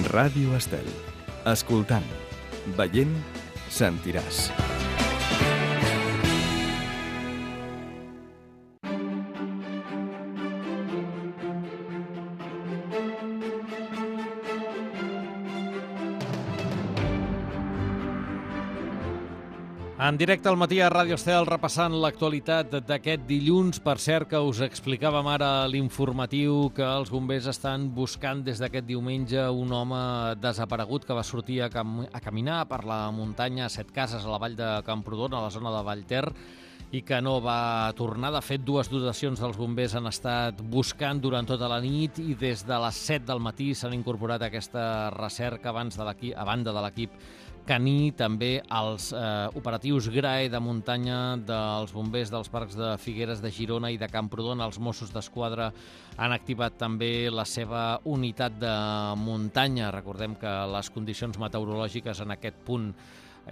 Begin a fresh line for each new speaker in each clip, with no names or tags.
Ràdio Estel. Escoltant, veient, sentiràs.
En directe al matí a Ràdio Estel, repassant l'actualitat d'aquest dilluns. Per cert, que us explicàvem ara l'informatiu que els bombers estan buscant des d'aquest diumenge un home desaparegut que va sortir a caminar per la muntanya a Setcases, a la vall de Camprodon, a la zona de Vallter, i que no va tornar. De fet, dues dotacions dels bombers han estat buscant durant tota la nit i des de les 7 del matí s'han incorporat a aquesta recerca a banda de l'equip caní, també els operatius GRAE de muntanya dels bombers dels parcs de Figueres, de Girona i de Camprodon. Els Mossos d'Esquadra han activat també la seva unitat de muntanya. Recordem que les condicions meteorològiques en aquest punt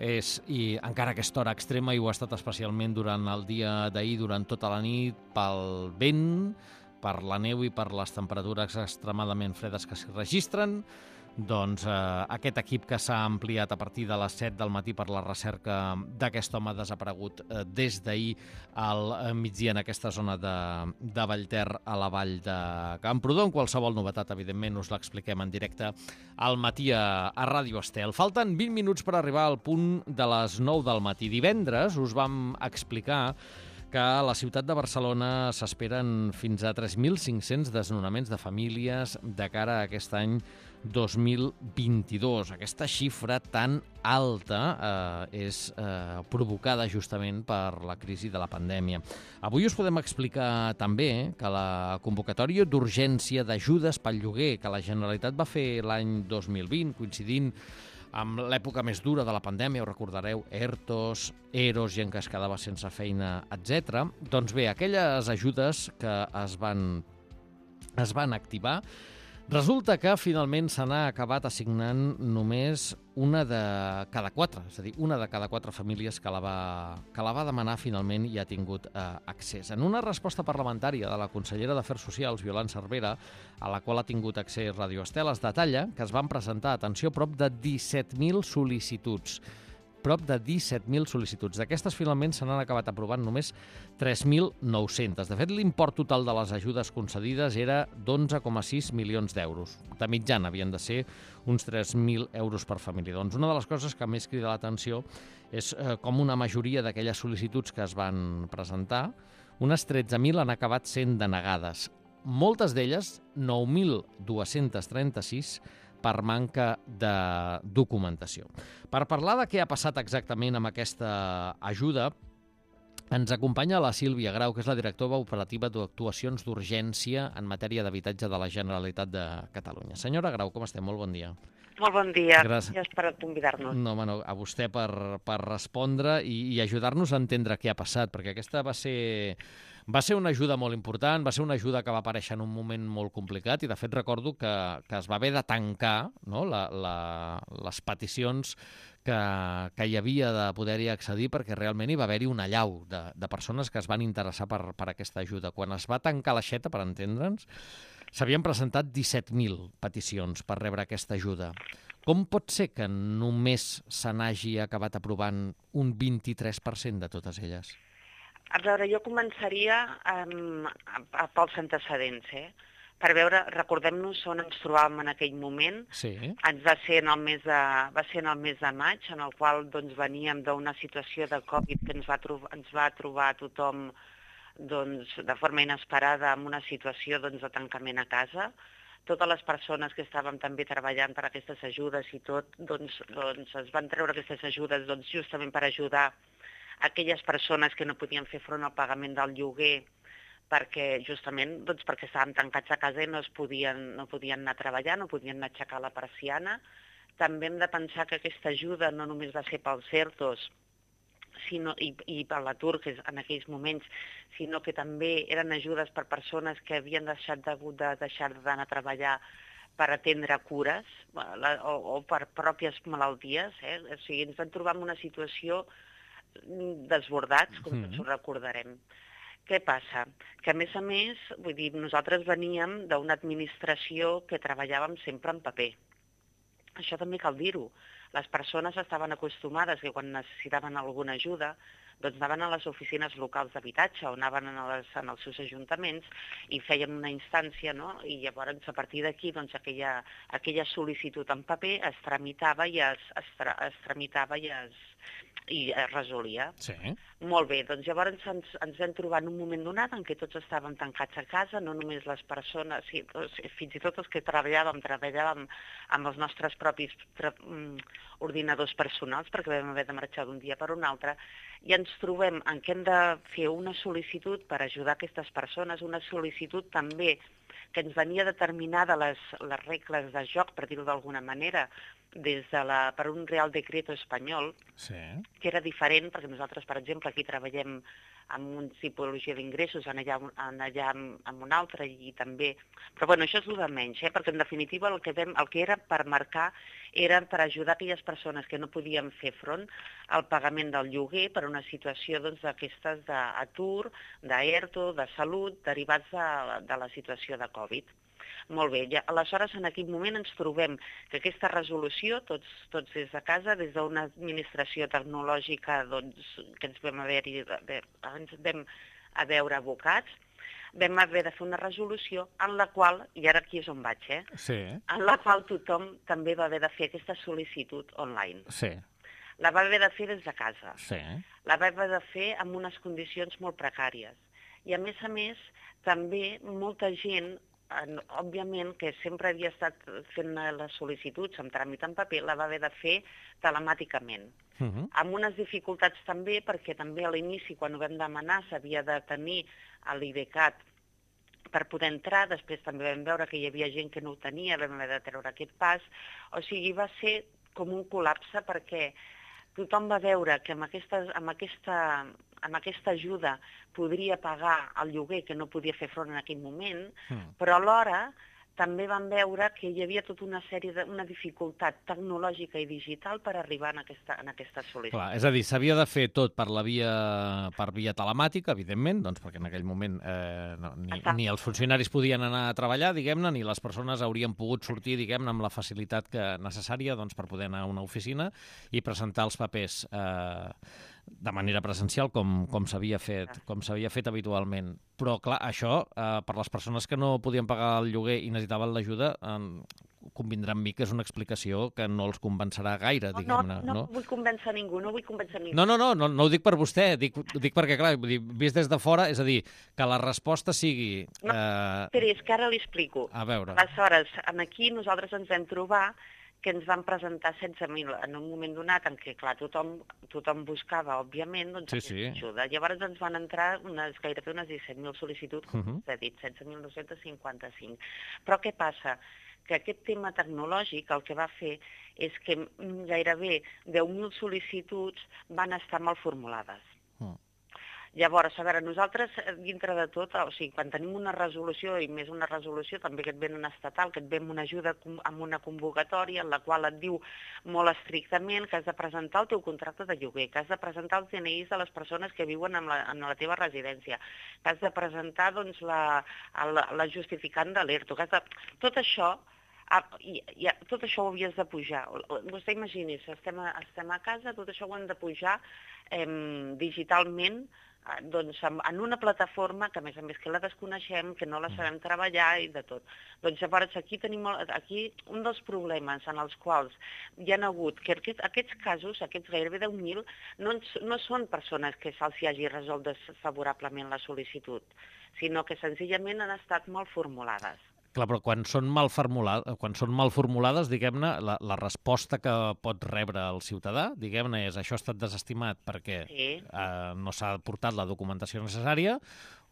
i encara aquesta hora extrema, i ho ha estat especialment durant el dia d'ahir, durant tota la nit, pel vent, per la neu i per les temperatures extremadament fredes que s'hi registren. Doncs aquest equip que s'ha ampliat a partir de les 7 del matí per la recerca d'aquest home desaparegut des d'ahir al migdia en aquesta zona de Vallter, a la vall de Camprodon. Qualsevol novetat, evidentment, us l'expliquem en directe al matí a Ràdio Estel. Falten 20 minuts per arribar al punt de les 9 del matí. Divendres us vam explicar que a la ciutat de Barcelona s'esperen fins a 3.500 desnonaments de famílies de cara a aquest any 2022. Aquesta xifra tan alta és provocada justament per la crisi de la pandèmia. Avui us podem explicar també que la convocatòria d'urgència d'ajudes pel lloguer que la Generalitat va fer l'any 2020, coincidint amb l'època més dura de la pandèmia, ho recordareu, ERTOs, EROs, gent que es quedava sense feina, etc. Doncs bé, aquelles ajudes que es van activar, resulta que finalment se n'ha acabat assignant només una de cada 4, és a dir, una de cada 4 famílies que la va demanar finalment i ha tingut accés. En una resposta parlamentària de la consellera d'Afers Socials, Violant Cervera, a la qual ha tingut accés Ràdio Estel, es detalla que es van presentar, atenció, prop de 17.000 sol·licituds. D'aquestes, finalment, se n'han acabat aprovant només 3.900. De fet, l'import total de les ajudes concedides era d'11,6 milions d'euros. De mitjana havien de ser uns 3.000 euros per família. Doncs una de les coses que més crida l'atenció és com una majoria d'aquelles sol·licituds que es van presentar, unes 13.000 han acabat sent denegades. Moltes d'elles, 9.236, per manca de documentació. Per parlar de què ha passat exactament amb aquesta ajuda, ens acompanya la Sílvia Grau, que és la directora operativa d'actuacions d'urgència en matèria d'habitatge de la Generalitat de Catalunya. Senyora Grau, com estem? Molt bon dia.
Molt bon dia. Gràcies per convidar-nos.
No, a vostè per respondre i ajudar-nos a entendre què ha passat, perquè aquesta va ser una ajuda molt important, va ser una ajuda que va aparèixer en un moment molt complicat i, de fet, recordo que es va haver de tancar, no, les peticions que hi havia de poder-hi accedir, perquè realment hi va haver-hi una allau de persones que es van interessar per aquesta ajuda. Quan es va tancar l'aixeta, per entendre'ns, s'havien presentat 17.000 peticions per rebre aquesta ajuda. Com pot ser que només se n'hagi acabat aprovant un 23% de totes elles?
A veure, jo començaria pels antecedents, per veure, recordem-nos on ens trobàvem en aquell moment.
Sí.
Va ser en el mes de maig, en el qual doncs, veníem d'una situació de Covid que ens va trobar a tothom de forma inesperada amb una situació de tancament a casa. Totes les persones que estàvem també treballant per aquestes ajudes i tot, es van treure aquestes ajudes justament per ajudar aquelles persones que no podien fer front al pagament del lloguer perquè estàvem tancats a casa i no podien anar a treballar, no podien anar a aixecar la persiana. També hem de pensar que aquesta ajuda no només va ser pels ERTOs i per l'atur en aquells moments, sinó que també eren ajudes per persones que havien deixat d'anar a treballar per atendre cures o per pròpies malalties. O sigui, ens vam trobar en una situació desbordats, com tots ho recordarem. Què passa? Que, a més, nosaltres veníem d'una administració que treballàvem sempre en paper. això també cal dir-ho. Les persones estaven acostumades que quan necessitaven alguna ajuda doncs anaven a les oficines locals d'habitatge o anaven en els seus ajuntaments i feien una instància, no? I llavors a partir d'aquí doncs, aquella sol·licitud en paper es tramitava i es resolia.
Sí.
Molt bé, doncs llavors ens vam trobar en un moment donat en què tots estàvem tancats a casa, no només les persones, fins i tot els que treballàvem amb els nostres propis ordinadors personals, perquè vam haver de marxar d'un dia per un altre, i ens trobem en què hem de fer una sol·licitud per ajudar aquestes persones, una sol·licitud també que ens venia determinada les regles de joc, per dir-ho d'alguna manera, per un Real Decreto espanyol,
Sí.
que era diferent, perquè nosaltres, per exemple, aquí treballem amb una tipologia d'ingressos, en allà amb una altra, i també... Però bueno, això és el de menys, perquè en definitiva el que era per marcar era per ajudar aquelles persones que no podien fer front al pagament del lloguer per una situació d'aquestes d'atur, d'ERTO, de salut, derivats de la situació de Covid. Molt bé, aleshores en aquell moment ens trobem que aquesta resolució, tots des de casa, des d'una administració tecnològica que ens vam a veure abocats, vam haver de fer una resolució en la qual, i ara aquí és on vaig,
Sí.
en la qual tothom també va haver de fer aquesta sol·licitud online.
Sí.
La va haver de fer des de casa.
Sí.
La va haver de fer amb unes condicions molt precàries. I a més, també molta gent, òbviament, que sempre havia estat fent les sol·licituds amb tràmit en paper, la va haver de fer telemàticament. Amb unes dificultats també, perquè també a l'inici, quan ho vam demanar, s'havia de tenir l'IDCAT per poder entrar, després també vam veure que hi havia gent que no ho tenia, vam haver de treure aquest pas, o sigui, va ser com un col·lapse perquè tothom va veure que amb aquesta ajuda podria pagar el lloguer que no podia fer front en aquell moment, però alhora també vam veure que hi havia tota una dificultat tecnològica i digital per arribar en aquesta sol·licitud.
Clar, és a dir, s'havia de fer tot per via telemàtica, evidentment, doncs perquè en aquell moment ni els funcionaris podien anar a treballar, diguem-ne, ni les persones haurien pogut sortir, diguem-ne, amb la facilitat necessària doncs, per poder anar a una oficina i presentar els papers de manera presencial, com s'havia fet habitualment. Però, clar, això, per les persones que no podien pagar el lloguer i necessitaven l'ajuda, convindrà amb mi que és una explicació que no els convencerà gaire, diguem-ne.
No vull convèncer ningú, no vull convèncer ningú.
No ho dic per vostè, dic perquè, clar, vist des de fora, és a dir, que la resposta sigui...
Espera, és que ara li explico.
A veure.
Aleshores, aquí nosaltres ens vam trobar que ens van presentar 16.000 en un moment donat en què, clar, tothom buscava, òbviament, doncs, aquesta ajuda. Llavors ens van entrar gairebé unes 17.000 sol·licituds, com s'ha dit, 16.955. Però què passa? Que aquest tema tecnològic el que va fer és que gairebé 10.000 sol·licituds van estar mal formulades. Llavors, a veure, nosaltres, dintre de tot, o sigui, quan tenim una resolució, i més una resolució també que et ven una estatal, que et ven una ajuda amb una convocatòria en la qual et diu molt estrictament que has de presentar el teu contracte de lloguer, que has de presentar els DNIs de les persones que viuen en la teva residència, que has de presentar doncs, la justificant de l'ERTO, tot això... tot això ho havies de pujar. Vostè imagini's, estem a casa, tot això ho hem de pujar digitalment doncs, en una plataforma que, a més que la desconeixem, que no la sabem treballar i de tot. Doncs llavors aquí tenim un dels problemes en els quals hi ha hagut que aquests casos, aquests gairebé 10.000, no són persones que se'ls hagi resolt desfavorablement la sol·licitud, sinó que senzillament han estat mal formulades.
Clar, però quan són mal formulades, diguem-ne, la resposta que pot rebre el ciutadà, diguem-ne, és això ha estat desestimat perquè no s'ha portat la documentació necessària,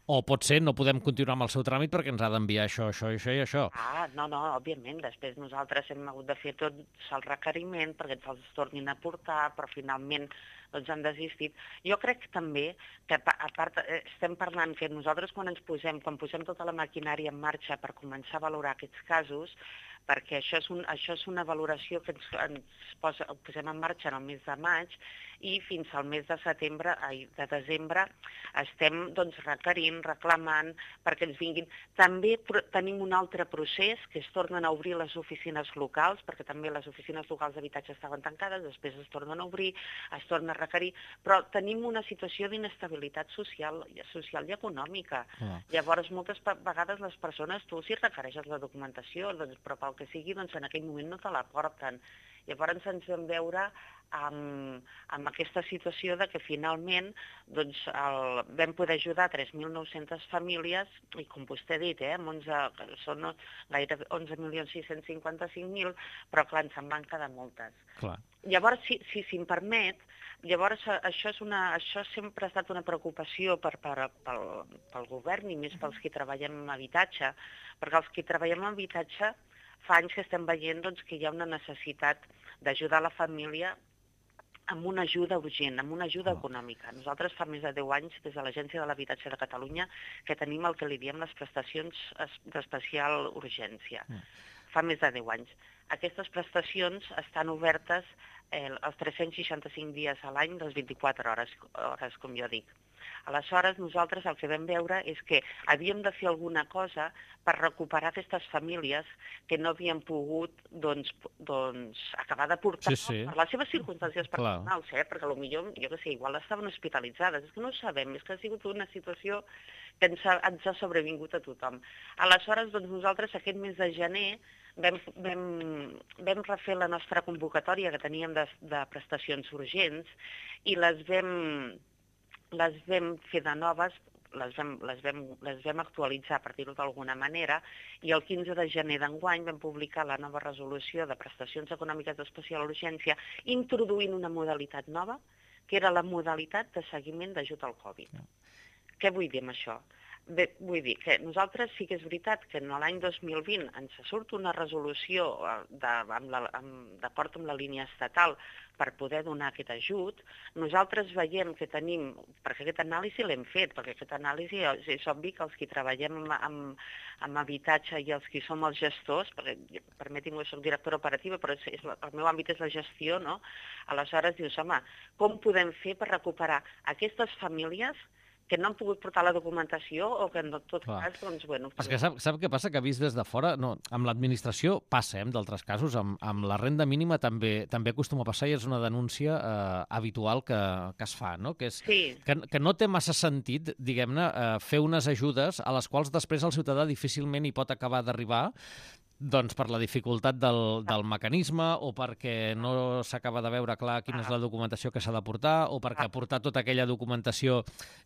o pot ser no podem continuar amb el seu tràmit perquè ens ha d'enviar això i això.
No, òbviament. Després nosaltres hem hagut de fer tot el requeriment perquè ens els tornin a portar, però finalment doncs han desistit. Jo crec també que, a part, estem parlant que nosaltres quan posem tota la maquinària en marxa per començar a valorar aquests casos, perquè això és una valoració que ho posem en marxa en el mes de maig i fins al mes de desembre estem doncs, requerint, reclamant perquè ens vinguin. També tenim un altre procés que es tornen a obrir les oficines locals, perquè també les oficines locals d'habitatge estaven tancades, després es tornen a obrir, es torna a requerir, però tenim una situació d'inestabilitat social i econòmica. Llavors, moltes vegades les persones, tu si requereixes la documentació, doncs, però pel que sigui, doncs, en aquell moment no te la porten. Llavors ens vam veure amb aquesta situació de que finalment doncs, vam poder ajudar 3.900 famílies i com vostè ha dit, són gairebé 11.655.000, però clar, ens en van quedar moltes.
Clar.
Llavors, si em permet, això sempre ha estat una preocupació pel govern i més pels que treballem en habitatge, perquè els que treballem en habitatge fa anys que estem veient doncs, que hi ha una necessitat d'ajudar la família amb una ajuda urgent, amb una ajuda econòmica. Nosaltres fa més de 10 anys, des de l'Agència de l'Habitatge de Catalunya, que tenim el que li diem les prestacions d'especial urgència. Fa més de 10 anys. Aquestes prestacions estan obertes els 365 dies a l'any, les 24 hores, com jo dic. Aleshores, nosaltres el que vam veure és que havíem de fer alguna cosa per recuperar aquestes famílies que no havien pogut acabar de portar per les seves circumstàncies personals, perquè potser, jo què sé, igual estaven hospitalitzades. És que no ho sabem, és que ha sigut una situació que ens ha sobrevingut a tothom. Aleshores, nosaltres aquest mes de gener vam refer la nostra convocatòria que teníem de prestacions urgents i les vam fer de noves, les vam actualitzar, per dir-ho d'alguna manera, i el 15 de gener d'enguany vam publicar la nova resolució de prestacions econòmiques d'especial urgència introduint una modalitat nova, que era la modalitat de seguiment d'ajut al Covid. Què vull dir amb això? Bé, vull dir que nosaltres sí que és veritat que en l'any 2020 ens surt una resolució d'acord amb la línia estatal per poder donar aquest ajut. Nosaltres veiem que tenim, perquè aquesta anàlisi l'hem fet, perquè aquesta anàlisi és obvi que els que treballem amb habitatge i els que som els gestors, perquè permeti'm que soc directora operativa, però el meu àmbit és la gestió, no? Aleshores dius, home, com podem fer per recuperar aquestes famílies que no han pogut portar la documentació o que en tot cas, doncs, bueno...
És que sap què passa? Que vist des de fora, no, amb l'administració passa, d'altres casos, amb la renda mínima també acostuma a passar i és una denúncia habitual que es fa, no? Que no té massa sentit, diguem-ne, fer unes ajudes a les quals després el ciutadà difícilment hi pot acabar d'arribar, doncs per la dificultat del mecanisme o perquè no s'acaba de veure clar quina és la documentació que s'ha de portar o perquè portar tota aquella documentació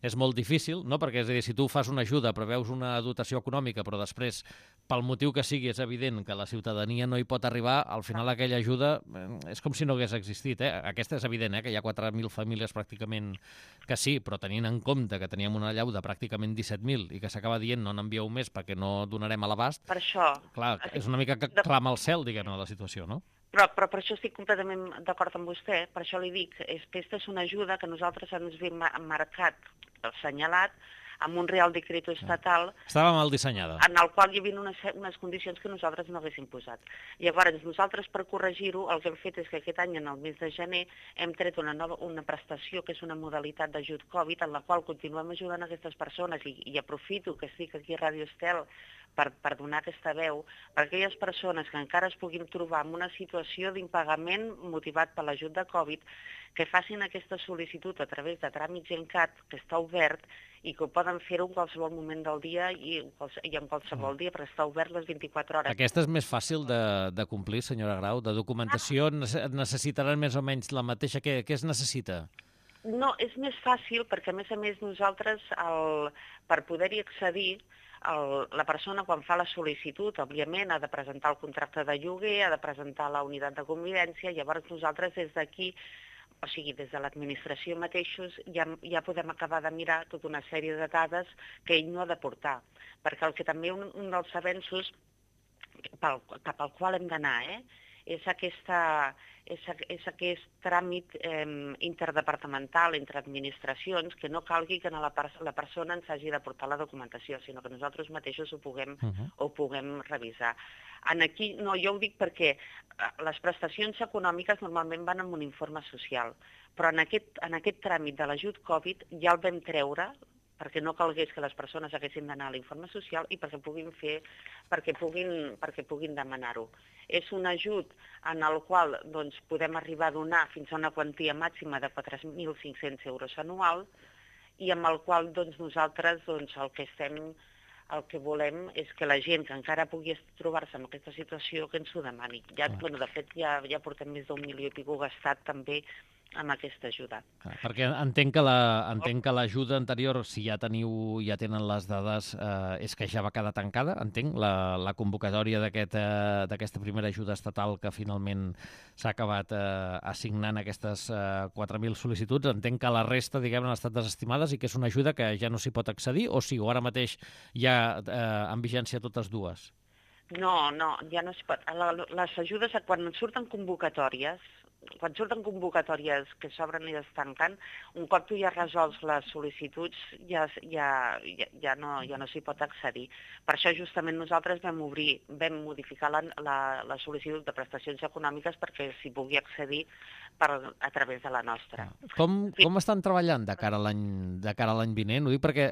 és molt difícil, no? Perquè, és a dir, si tu fas una ajuda, preveus una dotació econòmica, però després, pel motiu que sigui, és evident que la ciutadania no hi pot arribar, al final aquella ajuda és com si no hagués existit. Aquesta és evident, que hi ha 4.000 famílies pràcticament que sí, però tenint en compte que teníem una allau de pràcticament 17.000 i que s'acaba dient no n'envieu més perquè no donarem a l'abast.
Per això...
Clar, és una mica que clama al cel, diguem-ne, la situació, no?
Però per això estic completament d'acord amb vostè, per això li dic, aquesta és una ajuda que nosaltres ens hem marcat, assenyalat, amb un Real Decreto estatal...
Estava mal dissenyada.
En el qual hi havia unes condicions que nosaltres no haguéssim posat. Llavors, nosaltres, per corregir-ho, el que hem fet és que aquest any, en el mes de gener, hem tret una prestació, que és una modalitat d'ajut Covid, en la qual continuem ajudant aquestes persones, i aprofito que estic aquí a Ràdio Estel per donar aquesta veu, per aquelles persones que encara es puguin trobar en una situació d'impagament motivat per l'ajut de Covid, que facin aquesta sol·licitud a través de tràmits GenCat, que està obert, i que ho poden fer-ho en qualsevol moment del dia i en qualsevol dia, perquè està obert les 24 hores.
Aquesta és més fàcil de complir, senyora Grau? De documentació necessitaran més o menys la mateixa? Què es necessita?
No, és més fàcil perquè, a més nosaltres, per poder-hi accedir, la persona quan fa la sol·licitud, òbviament, ha de presentar el contracte de lloguer, ha de presentar la unitat de convivència, llavors nosaltres des d'aquí, o sigui, des de l'administració mateixos, ja podem acabar de mirar tota una sèrie de dades que ell no ha de portar. Perquè el que també un dels avenços cap al qual hem d'anar, és aquest tràmit interdepartamental entre administracions que no calgui que la persona ens hagi de portar la documentació, sinó que nosaltres mateixos ho puguem revisar. Aquí, no, jo ho dic perquè les prestacions econòmiques normalment van amb un informe social, però en aquest tràmit de l'ajut Covid ja el vam treure perquè no calgués que les persones haguessin d'anar a l'informe social i perquè puguin demanar-ho. És un ajut en el qual podem arribar a donar fins a una quantia màxima de 4.500 euros anual i amb el qual nosaltres el que volem és que la gent que encara pugui trobar-se en aquesta situació que ens ho demani. De fet, ja portem més d'1 milió i escaig gastat també amb aquesta ajuda.
Perquè entenc que l'ajuda anterior, si ja tenen les dades, és que ja va quedar tancada, entenc, la convocatòria d'aquesta primera ajuda estatal que finalment s'ha acabat assignant aquestes 4.000 sol·licituds. Entenc que la resta, diguem-ne, han estat desestimades i que és una ajuda que ja no s'hi pot accedir, o sí, o ara mateix ja en vigència totes dues?
No, ja no s'hi pot. Les ajudes, quan surten convocatòries que s'obren i es tanquen, un cop tu ja resols les sol·licituds ja no s'hi pot accedir. Per això justament nosaltres vam modificar la sol·licitud de prestacions econòmiques perquè s'hi pugui accedir a través de la nostra.
Com estan treballant de cara a l'any vinent? Ho dic perquè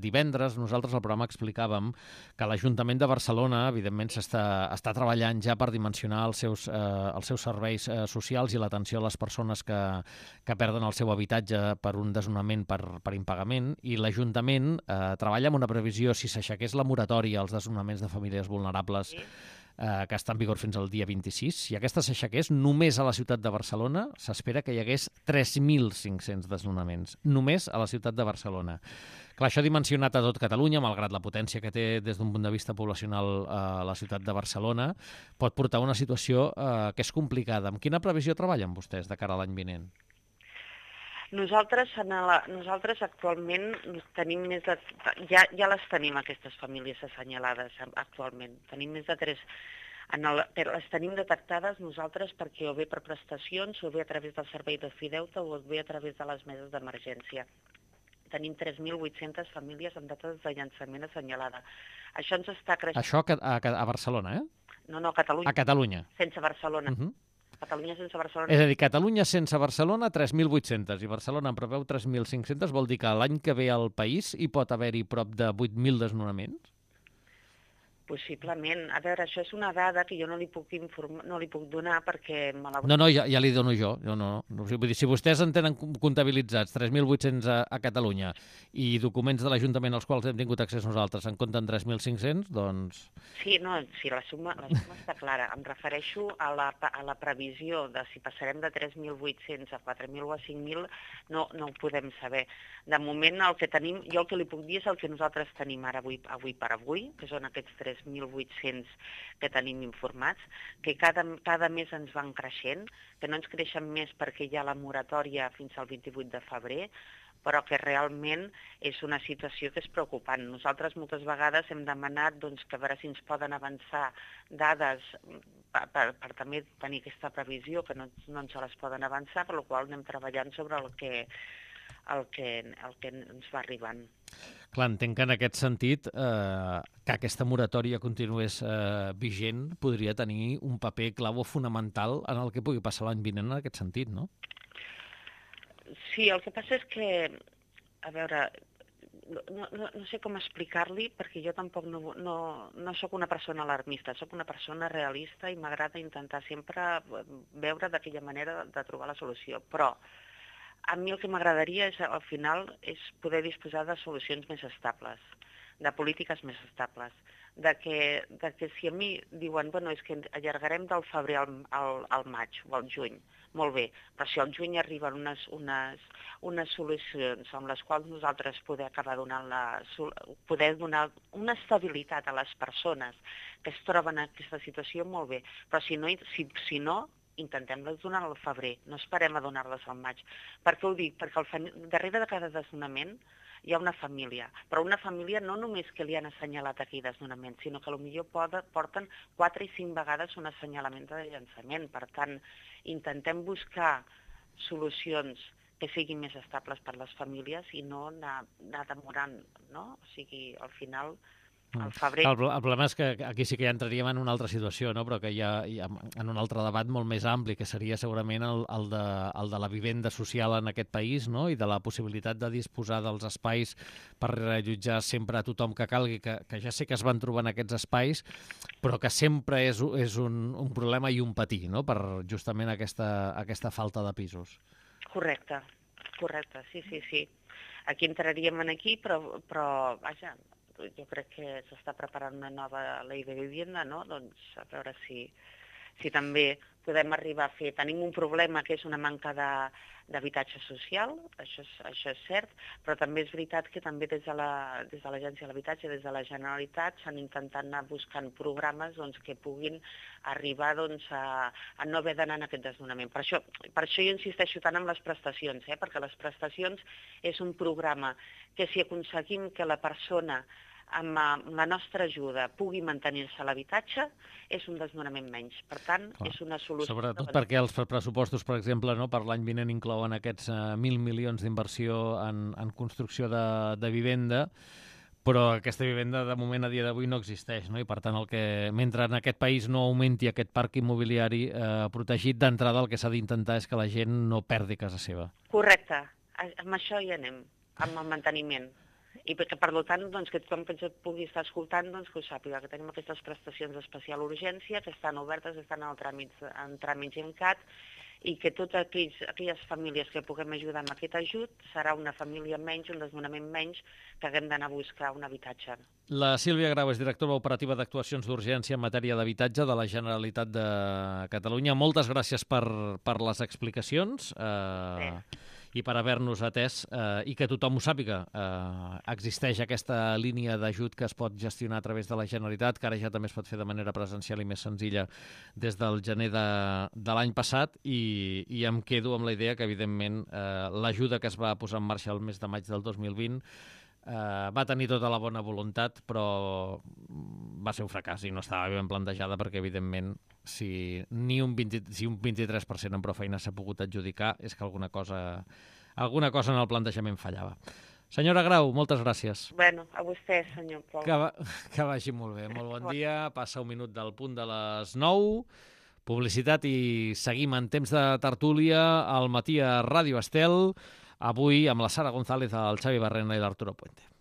divendres nosaltres al programa explicàvem que l'Ajuntament de Barcelona, evidentment, està treballant ja per dimensionar els seus serveis socials i l'atenció a les persones que perden el seu habitatge per un desnonament per impagament, i l'Ajuntament treballa amb una previsió, si s'aixequés la moratòria als desnonaments de famílies vulnerables, que està en vigor fins al dia 26, si aquesta s'aixequés, només a la ciutat de Barcelona s'espera que hi hagués 3.500 desnonaments, només a la ciutat de Barcelona. Clar, això dimensionat a tot Catalunya, malgrat la potència que té des d'un punt de vista poblacional la ciutat de Barcelona, pot portar a una situació que és complicada. Amb quina previsió treballen vostès de cara a l'any vinent?
Nosaltres actualment tenim més de... Ja les tenim, aquestes famílies assenyalades actualment. Tenim més de 3... Les tenim detectades nosaltres perquè o bé per prestacions, o bé a través del servei de Fideuta, o bé a través de les meses d'emergència. Tenim 3.800 famílies amb dates de llançament assenyalada. Això ens està creixent...
Això a Barcelona, eh?
No, a Catalunya.
A Catalunya.
Sense Barcelona. Catalunya sense Barcelona.
És a dir, Catalunya sense Barcelona, 3.800, i Barcelona en preveu 3.500, vol dir que l'any que ve al país hi pot haver-hi prop de 8.000 desnonaments?
Possiblement. A veure, això és una dada que jo no li puc donar perquè...
No, ja li dono jo. Vull dir, si vostès en tenen comptabilitzats 3.800 a Catalunya i documents de l'Ajuntament als quals hem tingut accés nosaltres en compten 3.500, doncs...
Sí, la suma està clara. Em refereixo a la previsió de si passarem de 3.800 a 4.000 o a 5.000, no ho podem saber. De moment, jo el que li puc dir és el que nosaltres tenim ara avui per avui, que són aquests 3.800 que tenim informats, que cada mes ens van creixent, que no ens creixen més perquè hi ha la moratòria fins al 28 de febrer, però que realment és una situació que és preocupant. Nosaltres moltes vegades hem demanat que a veure si ens poden avançar dades per també tenir aquesta previsió, que no ens les poden avançar, per la qual anem treballant sobre el que ens va arribant.
Clar, entenc que en aquest sentit que aquesta moratòria continués vigent podria tenir un paper clau o fonamental en el que pugui passar l'any vinent en aquest sentit, no?
Sí, el que passa és que, a veure, no sé com explicar-li, perquè jo tampoc no sóc una persona alarmista, sóc una persona realista i m'agrada intentar sempre veure d'aquella manera de trobar la solució, però a mi el que m'agradaria al final és poder disposar de solucions més estables, de polítiques més estables, de que si a mi diuen és que allargarem del febrer al maig o al juny, molt bé, però si al juny arriben unes solucions amb les quals nosaltres poder donar una estabilitat a les persones que es troben en aquesta situació, molt bé, però si no intentem-les donar al febrer, no esperem a donar-les al maig. Per què ho dic? Perquè darrere de cada desnonament hi ha una família, però una família no només que li han assenyalat aquell desnonament, sinó que potser porten 4 i 5 vegades un assenyalament de llançament. Per tant, intentem buscar solucions que siguin més estables per les famílies i no anar demorant, no? O sigui, al final, al febrer...
El problema és que aquí sí que ja entraríem en una altra situació, no? Però que hi ha en un altre debat molt més ampli, que seria segurament el de la vivenda social en aquest país, no? I de la possibilitat de disposar dels espais per allotjar sempre a tothom que calgui, que ja sé que es van trobar en aquests espais, però que sempre és un problema i un patir, no? Per justament aquesta falta de pisos.
Correcte, sí. Aquí entraríem aquí, però vaja, jo crec que s'està preparant una nova llei de vivienda, no? Doncs a veure si també podem arribar a fer... Tenim un problema que és una manca d'habitatge social, això és cert, però també és veritat que també des de l'Agència de l'Habitatge, des de la Generalitat, s'han intentat anar buscant programes que puguin arribar a no haver d'anar en aquest desnonament. Per això jo insisteixo tant en les prestacions, perquè les prestacions és un programa que si aconseguim que la persona amb la nostra ajuda pugui mantenir-se a l'habitatge, és un desnonament menys. Per tant, és una solució...
Sobretot perquè els pressupostos, per exemple, no, per l'any vinent inclouen aquests 1.000 milions d'inversió en construcció de vivenda, però aquesta vivenda, de moment, a dia d'avui no existeix, no? I, per tant, mentre en aquest país no augmenti aquest parc immobiliari protegit, d'entrada el que s'ha d'intentar és que la gent no perdi casa seva.
Correcte. Amb això hi anem, amb el manteniment. I perquè, per tant, que tothom que ens pugui estar escoltant, que ho sàpiga, que tenim aquestes prestacions d'especial urgència, que estan obertes, estan en tràmit GEMCAT, i que totes aquelles famílies que puguem ajudar amb aquest ajut serà una família menys, un desnonament menys, que haguem d'anar a buscar un habitatge.
La Sílvia Grau és directora operativa d'actuacions d'urgència en matèria d'habitatge de la Generalitat de Catalunya. Moltes gràcies per les explicacions. I per haver-nos atès i que tothom ho sàpiga. Existeix aquesta línia d'ajut que es pot gestionar a través de la Generalitat, que ara ja també es pot fer de manera presencial i més senzilla des del gener de l'any passat, i em quedo amb la idea que, evidentment, l'ajuda que es va posar en marxa el mes de maig del 2020 va tenir tota la bona voluntat, però va ser un fracàs i no estava ben plantejada perquè, evidentment, si un 23% amb prou feina s'ha pogut adjudicar, és que alguna cosa en el plantejament fallava. Senyora Grau, moltes gràcies.
Bueno, a vostè, senyor Pol.
Que vagi molt bé. Molt bon dia. Passa un minut del punt de les 9. Publicitat i seguim en temps de tertúlia al matí a Ràdio Estel. Avui amb la Sara González, el Xavi Barrena i l'Arturo Puente.